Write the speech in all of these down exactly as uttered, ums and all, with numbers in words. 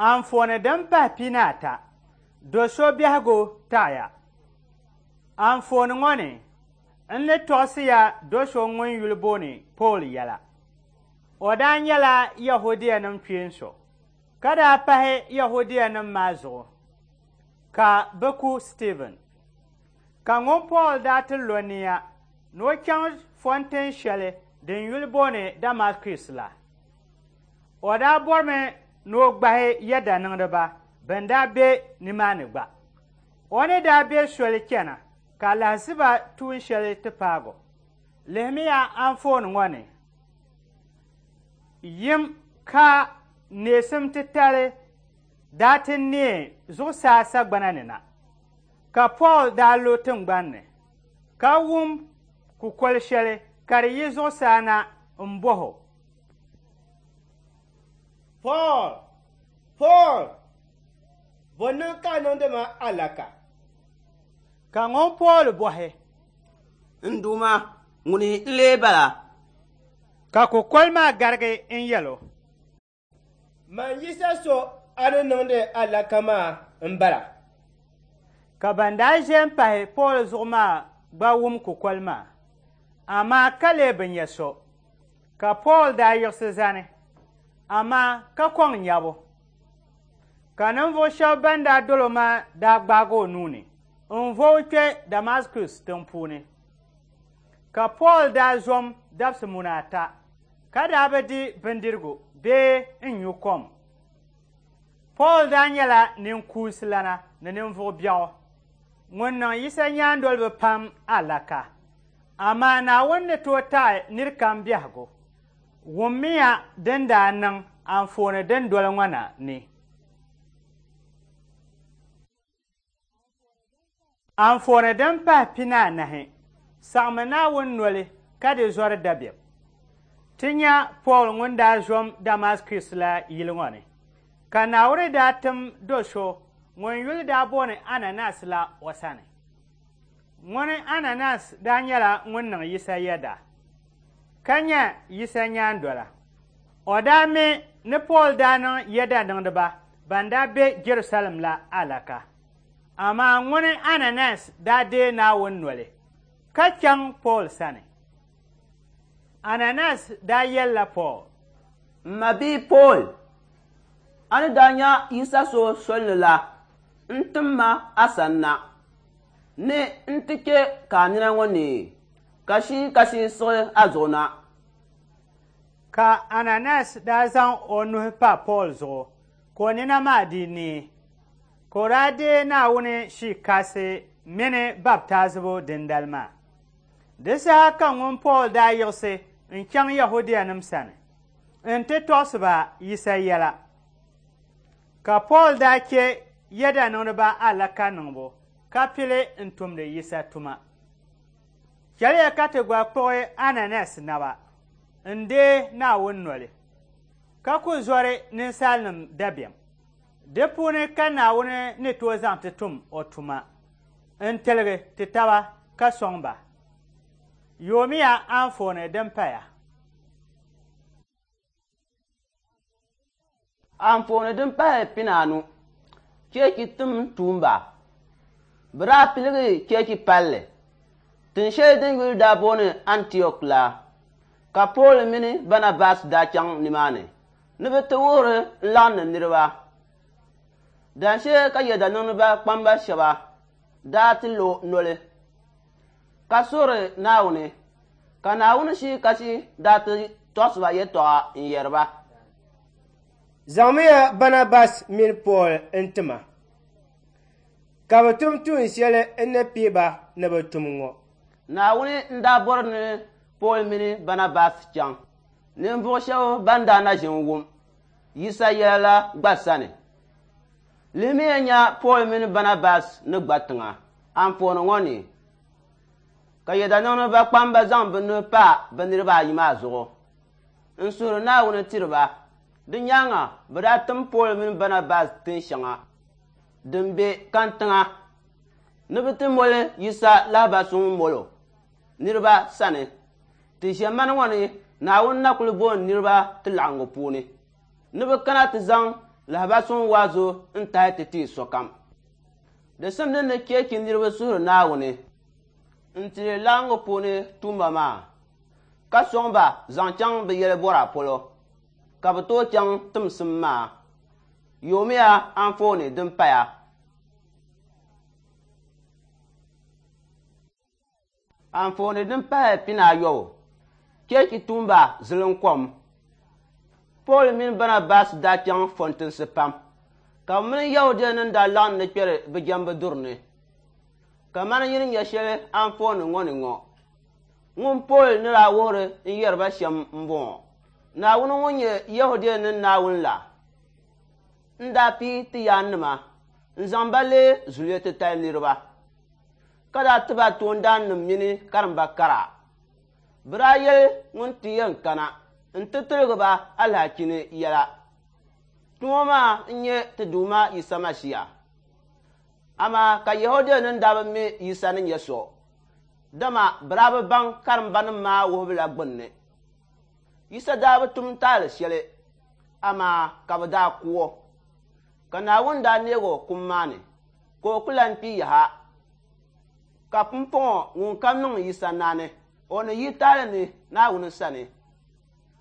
Anfooni din pahi pinaata, do so biɛhigu taɣiya. Anfooni ŋɔ ni, n ni tɔɣisi ya do so ŋun yuli booni Pool yɛla. O daa nyɛla Yɛhudianim kpeen so, ka daa pahi Yɛhudianim maa zuɣu ka bɛ ku Stiivin. Ka ŋun Pool daa ti lo nia ni o chaŋ fɔntin shɛli din yuli booni Damaskus la. O daa bɔrimi ni o gbahi yɛdaniŋdiba bɛn daa be nimaani gba. O ni daa be soli chana ka alahiziba tuun shɛli ti paagi o. Lihimiya anfooni ŋɔ ni. Yim ka neesim titali daa ti neei zuɣusaa sagbana ni na, ka Pool daa lu tiŋgbani ni, ka wum kukoli shɛli ka di yi zuɣusaa na m-bɔh o, Paul, Paul, bɔ niŋ ka a niŋdi ma alaka? Ka ŋun Pool bɔhi, N Duuma, ŋuni n-lee bala? Ka kukoli maa garigi n-yɛl o, Man Yisa so a ni niŋdi alaka maa m-bala. Ka ban daa ʒe m-pahi Pool zuɣu maa gba wum kukoli maa, amaa ka lee bi nya so. Ka Pool daa yiɣisi zani, amaa ka kɔŋ nyabu. Ka ninvuɣ shɛba ban daa dol o maa daa gbaag o nuu ni n-vo o kpe Damaskus tiŋ puuni. Ka Pool daa zom dabisi muna ata, ka daa bi di bindirigu bee n-nyu kom. Pool daa nyɛla ninkuunsilana ni ninvuɣ biɛɣu ŋun niŋ Yisa nyaandoliba pam alaka. Amaa Naawuni ni tooi taɣi nir kam biɛhigu. Wummiya din daa niŋ anfooni din doli ŋɔ na ni. Anfooni din pahi pinaanahi, saɣimi Naawuni noli ka di zɔri dabiɛm. Ti nya Pool ŋun daa zom Damaskus la yili ŋɔ ni, ka Naawuni daa tim do so ŋun yuli daa booni Ananias la o sani. Ŋuni Ananias daa nyɛla ŋun niŋ Yisa yɛda, ka nyɛ Yisa nyaandola. O daa mi ni Pool daa niŋ yɛda niŋdiba ban daa be Jɛrusalɛm la alaka. Amaa ŋuni Ananias daa deei Naawuni noli, ka chaŋ Pool sani. Ananias daa yɛlila Pool, M ma bia Pool, a ni daa nya Yisa so soli ni la, n-tim ma a sani na, ni n ti chɛ ka a nina ŋɔ neei, ka shii kasi siɣi a zuɣu na. Ka Ananias daa zaŋ o nuhi pa Pool zuɣu, ka o nina maa dii neei, ka o daa deei Naawuni Shii Kasi mini baptaazibu dindali maa. Di saha ka ŋun Pool daa yiɣisi n-chaŋ Yɛhudianim sani nti tɔɣisi ba Yisa yɛla. Ka Pool daa chɛ yɛda niŋdiba alaka niŋbu ka pili n-tumdi Yisa tuma. Chɛliya ka ti gba kpuɣi Ananias naba n-deei Naawuni noli, ka ku zɔri ninsalinim dabiɛm. Di puuni ka Naawuni ni tooi zaŋ ti tum o tuma n-tiligi ti taba ka sɔŋ ba. Yoomiya anfooni din paya. Anfooni din pahi pinaanu, cheechi tim tuumba. Bɛ daa piligi cheechi palli, tin shɛli din yuli daa booni Antiɔk la, ka Pool mini Barnabas daa chaŋ nimaani ni bɛ ti wuhiri n-laɣindi niriba. Daanshee ka yɛdaniŋdiba kpamba shɛba daa ti lo noli, ka suhiri Naawuni, ka Naawuni Shii Kasi daa ti tɔɣisi ba yɛtɔɣa n-yɛri ba, Zaŋmiya Barnabas mini Pool n-ti ma, ka bɛ tum tuun shɛli n ni pii ba ni bɛ tum ŋɔ. Naawuni n-daa bɔri ni Pool mini Barnabas chaŋ ninvuɣ shɛba ban daa na ʒin wum Yisa yɛla la gba sani. Lihimiya nya Pool mini Barnabas ni gba tiŋa anfooni ŋɔ ni, ka yɛdaniŋdiba kpamba zaŋ bɛ nuhi pa bɛ niriba ayi maa zuɣu n-suhiri Naawuni tiri ba. Di nyaaŋa bɛ daa tim Pool mini Barnabas tin shɛŋa din be kantiŋa ni bɛ ti moli Yisa lahibali suŋ molo niriba sani. Ti ʒiɛmani ŋɔ ni Naawuni na kuli booni niriba ti laɣingu puuni ni bɛ kana ti zaŋ Lahibali suŋ waazu n-tahi ti ti sokam. Di simdi ni cheechi niriba suhiri Naawuni n-tiri laɣingu puuni tuumba maa, ka sɔŋ ba zaŋ chaŋ bɛ yɛlibɔra polo, ka bɛ tooi chaŋ timsim maa. Yoomiya anfooni din paya. Anfooni din pahi pinaayɔbu, cheechi tuumba zilinkom. Paul mini Barnabas daa chaŋ fɔntinsi pam, ka bɛ mini Yɛhudianim daa laɣim ni kpɛri bɛ jɛmbu duri ni. Kamani yi ni nya shɛli anfooni ŋɔ ni ŋɔ, ŋun Paul ni daa wuhiri n-yɛri ba shɛm m-bɔŋɔ: Naawuni ŋun nyɛ Yɛhudianim Naawuni la n-daa pii ti yaannima n-zaŋ ba leei zuliya titali niriba, ka daa ti ba toondaannim mini karimba kara. Bɛ daa yɛli ŋun ti yɛn kana nti tiligi ba alahichi ni yɛla. Tumo maa n-nyɛ ti Duuma Yisa Masia. Amaa ka Yɛhudianim daa bi mi Yisa ni nyɛ so, dama bɛ daa bi baŋ karimbanim maa wuhibu la gbunni. Yisa daa bi tum taali shɛli, amaa ka bɛ daa ku o. Ka Naawuni daa neeg o kum maa ni, ka o ku lan kpi yaha. Ka pumpɔŋɔ ŋunkam niŋ Yisa naani, o ni yi taali ni Naawuni sani.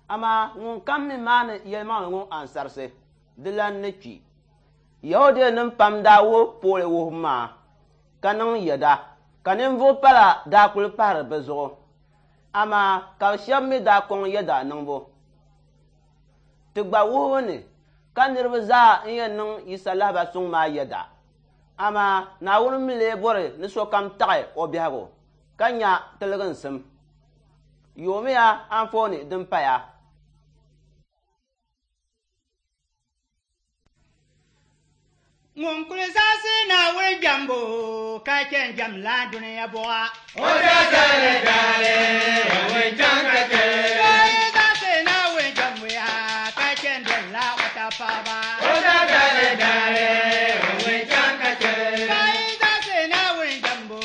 Amaa ŋunkam mi maani yɛlimaŋli ŋɔ ansarisi, di lan ni kpi. Yɛhudianim pam daa wuhi Pool wuhibu maa ka niŋ yɛda, ka ninvuɣ pala daa kuli pahiri bɛ zuɣu. Amaa ka bɛ shɛba mi daa kɔŋ yɛda niŋbu. Ti gba wuhibu ni ka niriba zaa n-yɛn niŋ Yisa lahibali suŋ maa yɛda. Amaa Naawuni mi lee bɔri ni sokam taɣi o biɛhigu ka nya tiliginsim. Yoomiya anfooni din paya. Ŋun kuli zaɣisi Naawuni jɛmbu ka chɛ n-jɛmla dunia buɣa. O daa zali dali, ŋun chaŋ ka chɛ. O yi zaɣisi Naawuni jɛmbu ya ka chɛ n-dolila o tapaɣiba. O daa zali dali, ŋun chaŋ ka chɛ. Ka yi zaɣisi Naawuni jɛmbu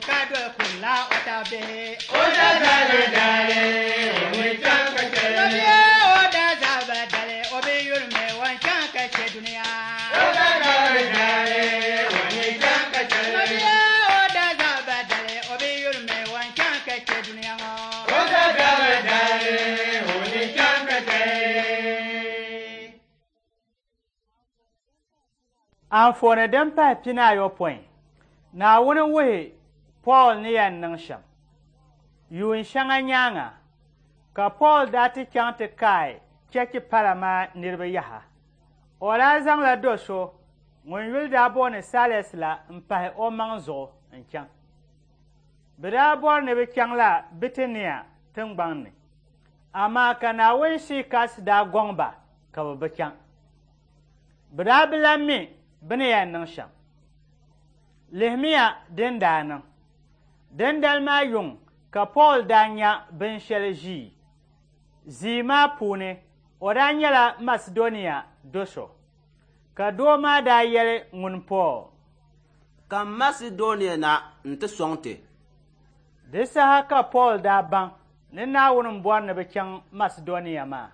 ka doli kurila o tabihi. O daa zali dali, ŋun chaŋ ka chɛ. Mabia o daa zaba dali, o bi yurimi o chaŋ ka chɛ dunia. O daa zali dali, ŋun chaŋ ka chɛ. Mabia o daa zaba dali, o bi yurimi o chaŋ ka chɛ dunia ŋɔ. O daa zali dali, ŋun chaŋ ka chɛ. Anfooni din pahi pinaayopɔin, Naawuni wuhi Paul ni yɛn niŋ shɛm. Yuun shɛŋa nyaaŋa, ka Paul daa ti chaŋ ti kaai cheechi pala maa niriba yaha. O daa zaŋla do so ŋun yuli daa booni Silas la m-pahi o maŋ zuɣu n-chaŋ. Bɛ daa bɔri ni bɛ chaŋla Bitinia tiŋgbaŋ ni, amaa ka Naawuni Shii Kasi daa gɔŋ ba ka bɛ bi chaŋ. Bɛ daa bi lan mi bɛ ni yɛn niŋ shɛm. Lihimiya din daa niŋ. Dindali maa yuŋ ka Paul daa nya binshɛli ʒii. Zii maa puuni o daa nyɛla Masedonia do so, ka doo maa daa yɛli ŋun Paul, Kam Masedonia na nti sɔŋ ti. Di saha ka Paul daa baŋ ni Naawuni m-bɔri ni bɛ chaŋ Masedonia maa.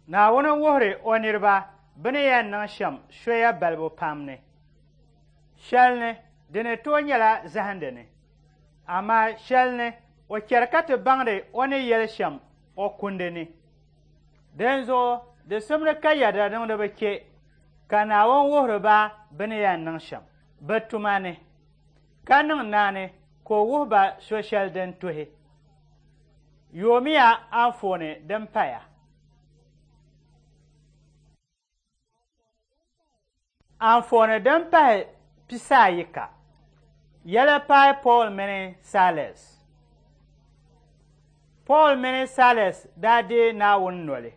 Naawuni wuhiri o niriba bɛ ni yɛn niŋ shɛm soya balibu pam ni. Shɛli ni di ni tooi nyɛla zahindi ni, amaa shɛli ni o chɛri ka ti baŋdi o ni yɛli shɛm o kundi ni. Dinzuɣu di simdi ka yɛda niŋdiba chɛ ka Naawuni wuhiri ba bɛ ni yɛn niŋ shɛm bɛ tuma ni, ka niŋ naani ka o wuhi ba so shɛli din tuhi. Yoomiya anfooni din paya. Anfooni din pahi pisaayika, yɛla paai Paul mini Silas. Paul mini Silas daa deei Naawuni noli,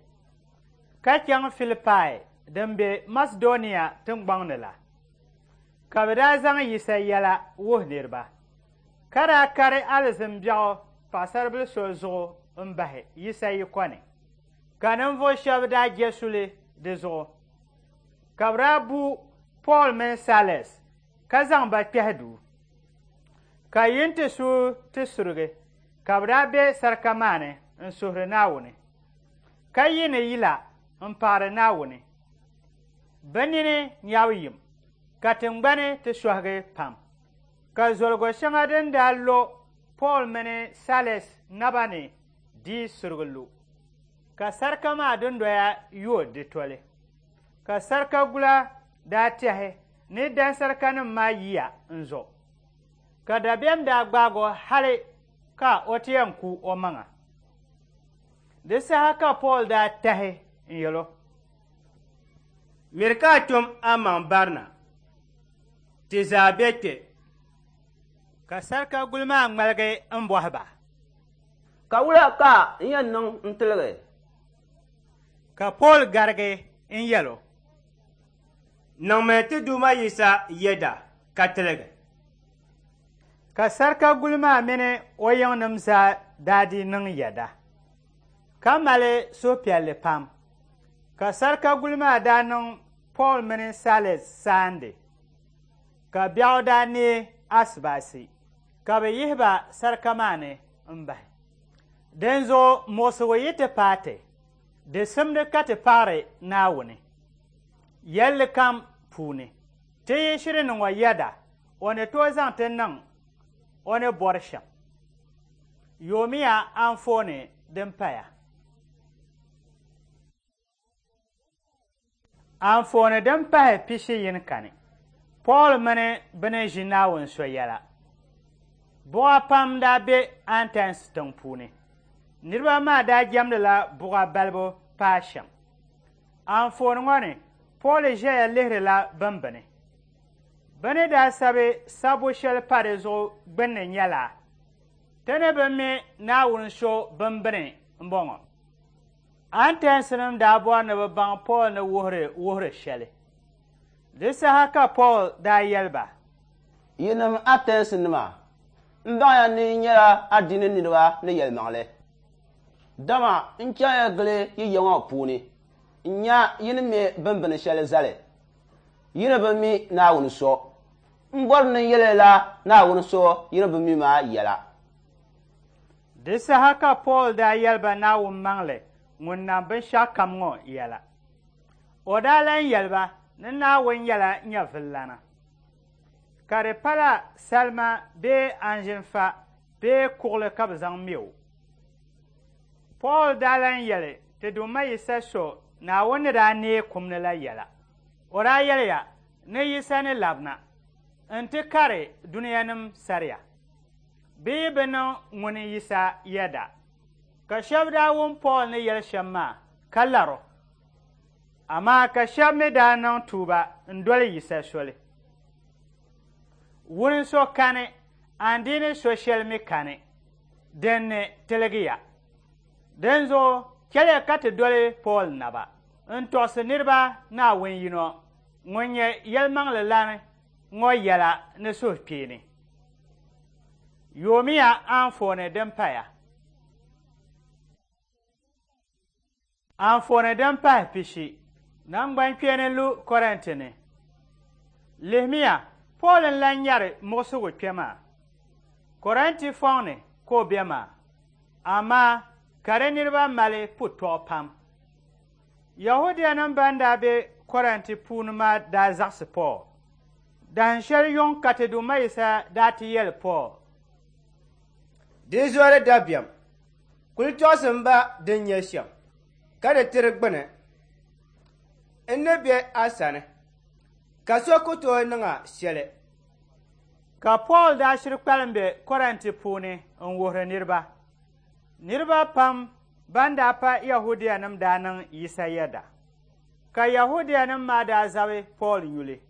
ka chaŋ Filipai din be Masedonia tiŋgbɔŋ ni la, ka bɛ daa zaŋ Yisa yɛla wuhi niriba, ka daa kari alizin biɛɣu paɣisaribila so zuɣu m-bahi Yisa yiko ni, ka ninvuɣ shɛba daa je suli di zuɣu. Ka bɛ daa bu Paul mini Silas ka zaŋ ba kpɛhi duu. Ka yin ti suui ti surigi, ka bɛ daa be sarika maa ni n-suhiri Naawuni, ka yiini yila m-paɣiri Naawuni. Bɛ nini nyabu yim, ka tiŋgbani ti sɔhigi pam. Ka zoligo shɛŋa din daa lo Pool mini Silas naba ni dii surigi lu, ka sarika maa dundoya yooi di toli. Ka sarika gula daa tɛhi ni dansarikanim maa yiya n-zo. Ka dabiɛm daa gbaag o hali ka o ti yɛn ku o maŋa. Di saha ka Pool daa tahi n-yɛl o, Miri ka a tum amaŋ barina, ti zaa be kpe. Ka sarika guli maa ŋmaligi m-bɔhi ba, Ka wula ka n yɛn niŋ n-tiligi? Ka Pool garigi n-yɛl o, Niŋmi ti Duuma Yisa yɛda ka tiligi. Ka sarika guli maa mini o yiŋnim zaa daa dii niŋ yɛda, ka mali suhupiɛlli pam. Ka sarika guli maa daa niŋ Pool mini Silas saandi, ka biɛɣu daa neei asibaasi, ka bɛ yihi ba sarika maa ni m-bahi. Dinzuɣu muɣisigu yi ti paai ti, di simdi ka ti paɣiri Naawuni yɛlli kam puuni. Ti yi shiri niŋ o yɛda, o ni tooi zaŋ ti niŋ o ni bɔri shɛm. Yoomiya anfooni din paya. Anfooni din pahi pishi yini kani. Pool mini bɛ ni ʒi Naawuni so yɛla. Buɣa pam daa be Atɛns tiŋ puuni. Niriba maa daa jɛmdila buɣa balibu paai shɛm. Anfooni ŋɔ ni, Pool ʒɛya lihirila bimbini. Bɛ ni daa sabi sabbu shɛli pa di zuɣu gbunni nyɛla, Ti ni bi mi Naawuni so bimbini m-bɔŋɔ. Atɛnsinim daa bɔri ni bɛ baŋ Pool ni wuhiri wuhiri shɛli. Di saha ka Pool daa yɛli ba, Yinim Atɛnsinima, m baŋya ni yi nyɛla adiini niriba ni yɛlimaŋli. Dama n chaŋya gili yi ya ŋɔ puuni n-nya yi ni me bimbini shɛli zali. Yi ni bi mi Naawuni so. M bɔri ni n yɛli la Naawuni so yi ni bi mi maa yɛla. Di saha ka Pool daa yɛli ba Naawuni maŋli ŋun nam binshɛɣukam ŋɔ yɛla. O daa lan yɛli ba ni Naawuni nyɛla nyɛvililana, ka di pala salima bee anzinfa bee kuɣili ka bɛ zaŋ me o. Pool daa lan yɛli ti Duuma Yisa so Naawuni ni daa neei kum ni la yɛla. O daa yɛliya ni Yisa ni labina nti kari dunianim sariya, bɛ yi bi niŋ ŋuni Yisa yɛda. Ka shɛba daa wum Pool ni yɛli shɛm maa ka lar o, amaa ka shɛba mi daa niŋ tuuba n-doli Yisa soli. Wuni so kani, andiini so shɛli mi kani, din ni tiligiya. Dinzuɣu chɛliya ka ti doli Pool naba n-tɔɣisi niriba Naawuni yino ŋun nyɛ yɛlimaŋli ŋɔ yɛla ni suhukpeeni. Yoomiya anfooni din paya. Anfooni din pahi pishi. Naŋgbankpeeni lu Kɔrinti ni. Lihimiya, Pool n-lan nyari muɣisigu kpe maa. Kɔrinti fɔŋ ni ka o be maa, amaa ka di niriba mali putɔɣu pam. Yahudianim ban daa be Kɔrinti puuni maa daa zaɣisi Pool. Dahin shɛli yuŋ ka ti Duuma Yisa daa ti yɛli Pool, Di zɔri dabiɛm, kuli tɔɣisim ba din nyɛ shɛm, ka di tiri gbuni. N ni be a sani, ka so ku tooi niŋ a shɛli. Ka Pool daa shiri kpalim be Kɔrinti puuni n-wuhiri niriba. Niriba pam ban daa pa Yahudianim daa niŋ Yisa yɛda. Ka Yahudianim maa daa zabi Pool nyuli,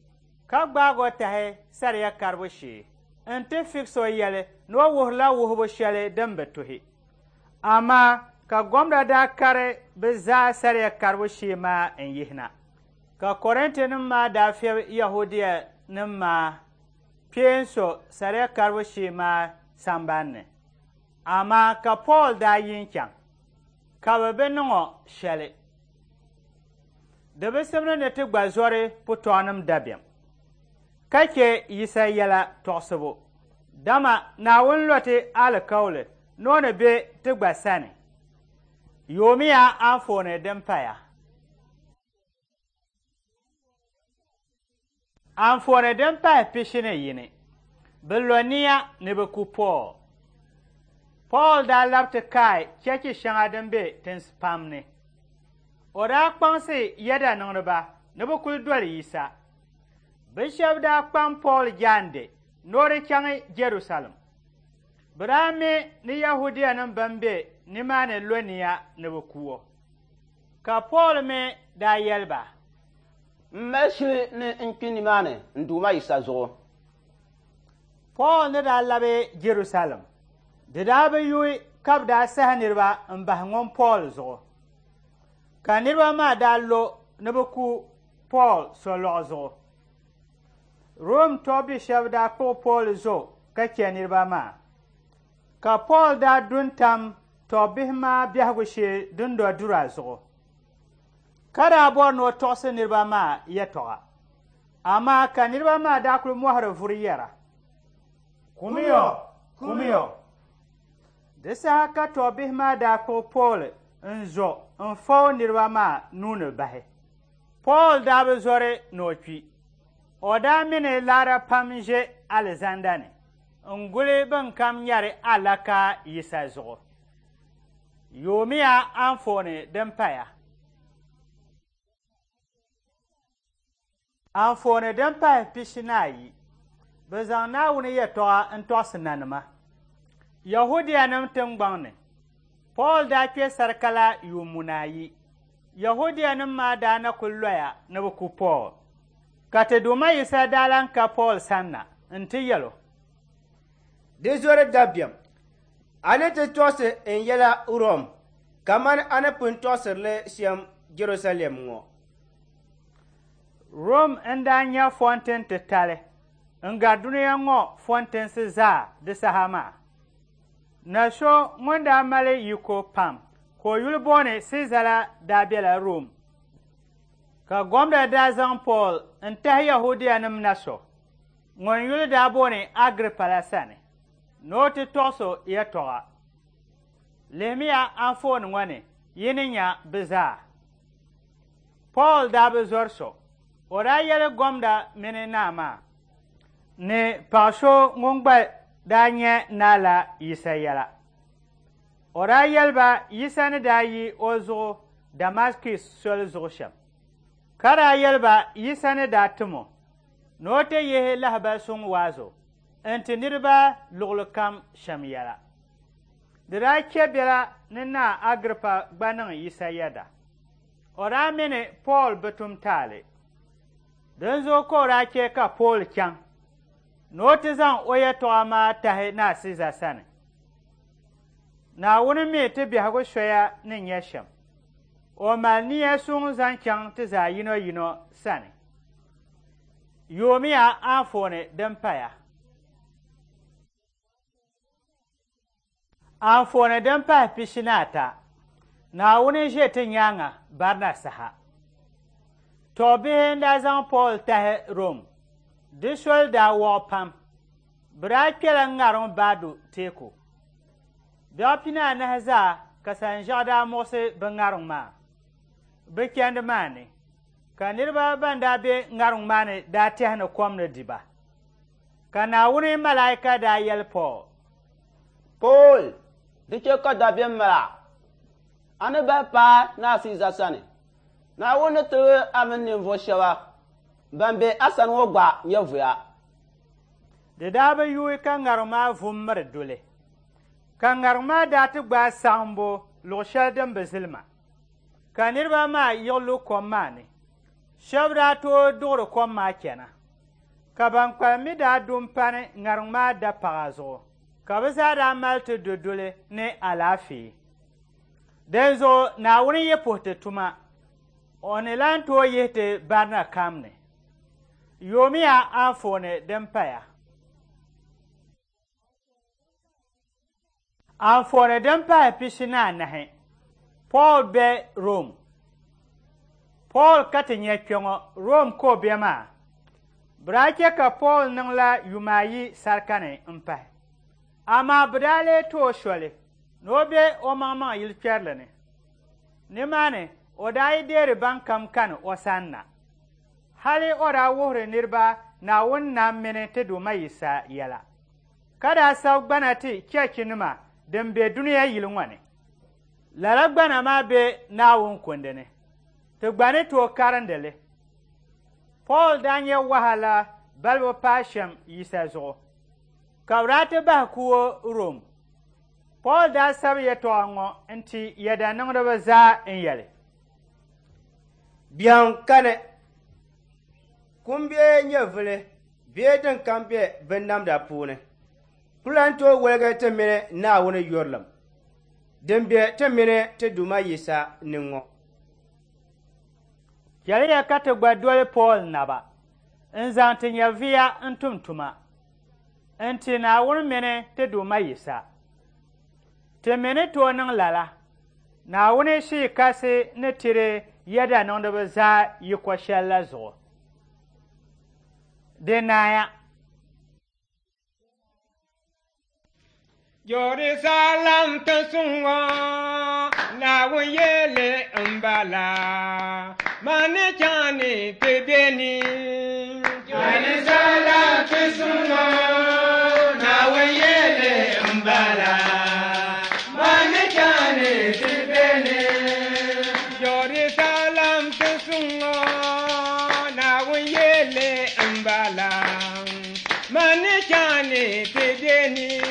ka gbaag o tahi sariya karibu shee nti fiɣis o yɛli ni o wuhirila wuhibu shɛli din bi tuhi. Amaa ka gomda daa kari bɛ zaa sariya karibu shee maa n-yihina. Ka Kɔrintinim maa daa fiɛbi Yahudianim maa kpeen so sariya karibu shee maa sambani ni. Amaa ka Pool daa yi n-chaŋ, ka bɛ bi niŋ o shɛli. Di bi simdi ni ti gba zɔri putɔɣunim dabiɛm, ka chɛ Yisa yɛla tɔɣisibu. Dama Naawuni lo ti alikauli ni o ni be ti gba sani. Yoomiya anfooni din paya. Anfooni din pahi pishi ni yini, bɛ lo nia ni bɛ ku Pool. Pool daa labi ti kaai chechi shɛŋa din be tinsi pam ni. O daa kpaŋsi yɛda niŋdiba ni bɛ kuli doli Yisa. Bɛ shɛba daa kpam Pool jaande ni o di chaŋ Jɛrusalɛm. Bɛ daa mi ni Yahudianim bɛn be nimaani lo nia ni bɛ ku o. Ka Pool mi daa yɛli ba, M mali shili ni n kpi nimaani n Duuma Yisa zuɣu. Pool ni daa labi Jɛrusalɛm, di daa bi yuui ka bɛ daa sahi niriba m-bahi ŋun Pool zuɣu. Ka niriba maa daa lo ni bɛ ku Pool solɔɣu zuɣu. Rom tɔbbi shɛba daa kpuɣi Pool zo ka chɛ niriba maa. Ka Pool daa du n-tam tɔbbihi maa biɛhigu shee dundɔdura zuɣu, ka daa bɔri ni o tɔɣisi niriba maa yɛtɔɣa. Amaa ka niriba maa daa kuli mɔhiri vuri yɛra, Kumiyo! Kumiyo! Di saha ka tɔbbihi maa daa kpuɣi Pool n-zo n-fa o niriba maa nuu ni bahi. Pool daa bi zɔri ni o kpi. O daa mi ni laara pam ʒe alizanda ni n-guli bɛn kam nyari alaka Yisa zuɣu. Yoomiya anfooni din paya. Anfooni din pahi pishi ni ayi, bɛ zaŋ Naawuni yɛtɔɣa n-tɔɣisi nanima. Yahudianim tiŋgbɔŋ ni, Pool daa kpe sarika yuun muna ayi. Yahudianim maa daa na kuli loya ni bɛ ku Pool. Ka ti Duuma Yisa daa lan ka Pool sanna nti yɛl o, Di zɔri dabiɛm, a ni ti tɔɣisi n yɛla Rom kamani a ni pun tɔɣisiri li shɛm Jɛrusalɛm ŋɔ. Rom n-daa nyɛ fɔntin titali n-gari dunia ŋɔ fɔntinsi zaa di saha maa. Na so ŋun daa mali yiko pam ka o yuli booni Siiza la daa bela Rom. Ka gomda daa zaŋ Pool n-tahi Yahudianim na so ŋun yuli daa booni Agripa la sani ni o ti tɔɣisi o yɛtɔɣa. Lihimiya anfooni ŋɔ ni yi ni nya bɛ zaa. Pool daa bi zɔri so. O daa yɛli gomda mini naa maa ni paɣ so ŋun gba daa nyɛ naa la Yisa yɛla. O daa yɛli ba Yisa ni daa yi o zuɣu Damaskus soli zuɣu shɛm. Ka daa yɛli ba Yisa ni daa tim o ni o ti yihi lahibali suŋ waazu n-ti niriba luɣili kam shɛm yɛla. Di daa chɛ bela ni naa Agripa gba niŋ Yisa yɛda. O daa mi ni Pool bi tum taali. Dinzuɣu ka o daa chɛ ka Pool chaŋ ni o ti zaŋ o yɛtɔɣa maa tahi naa Siiza sani. Naawuni mi ti biɛhigu soya ni nyɛ shɛm. O mali nia suŋ zaŋ chaŋ ti zaa yino yino sani. Yoomiya anfooni din paya. Anfooni din pahi pishi ni ata, Naawuni ʒe ti nyaaŋa barina saha. Tɔbbihi n-daa zaŋ Pool tahi Rom. Di soli daa wɔɣ pam. Bɛ daa kpɛla ŋariŋ baadu teeku. Biɛɣu pini anahi zaa ka sanʒiɛɣu daa muɣisi bɛ ŋariŋ maa. Bɛ chandi maa ni, ka niriba ban daa be ŋariŋ maa ni daa tɛhi ni kom ni di ba. Ka Naawuni malaika daa yɛli Pool, Pool, di chɛ ka dabiɛm mali a. A ni bahi paai Naa Siiza sani. Naawuni ni tiligi a mini ninvuɣ shɛba ban be a sani ŋɔ gba nyɛvuya. Di daa bi yuui ka ŋariŋ maa vu m-miri duli. Ka ŋariŋ maa daa ti gbaai saɣimbu luɣ shɛli din bi zilima. Ka niriba maa yiɣi lu kom maa ni. Shɛba daa tooi duɣiri kom maa chana. Ka ban kpalim mi daa du m-pani ŋariŋ maa dapaɣa zuɣu. Ka bɛ zaa daa mali ti du duli ni alaafee. Dinzuɣu Naawuni yi puhi ti tuma, o ni lan tooi yihi ti barina kam ni. Yoomiya anfooni din paya. Anfooni din pahi pishi ni anahi, Pool be Rom. Pool ka ti nya kpɛŋɔ Rom ka o be maa. Bɛ daa chɛ ka Pool niŋla yuma ayi sarika ni m-pahi. Amaa bɛ daa lee ti o soli ni o be o maŋmaŋ yili kpɛrili ni. Nimaani o daa yi deeri ban kam kani o sani na. Hali o daa wuhiri niriba Naawuni nam mini ti Duuma Yisa yɛla, ka daa sabi gbana ti chɛchinima din be dunia yili ŋɔ ni. Lala gbana maa be Naawuni kundi ni, ti gba ni tooi karindi li. Paul daa nyɛ wahala balibu paai shɛm Yisa zuɣu, ka bɛ daa ti bahi ku o Rom. Paul daa sabi yɛtɔɣa ŋɔ n-ti yɛdaniŋdiba zaa n-yɛli, Biɛhiŋ kani, kum bee nyɛvuli bee din kam be binnamda puuni ku lan tooi woligi ti mini Naawuni yurilim din be ti mini ti Duuma Yisa ni ŋɔ. Chɛliya ka ti gba doli Paul naba n-zaŋ ti nyɛviya n-tum tuma n-ti Naawuni mini ti Duuma Yisa. Ti mi ni tooi niŋ lala, Naawuni Shii Kasi ni tiri yɛdaniŋdiba zaa yiko shɛli la zuɣu. Di naaya. Jerusalem tinsuŋ ŋɔ, Naawuni yɛli m-bala, mani chaŋ ni ti be ni. Jerusalem tinsuŋ ŋɔ, Naawuni yɛli m-bala, mani chaŋ ni ti be ni. Jerusalem tinsuŋ ŋɔ, Naawuni yɛli m-bala, mani chaŋ ni ti be ni.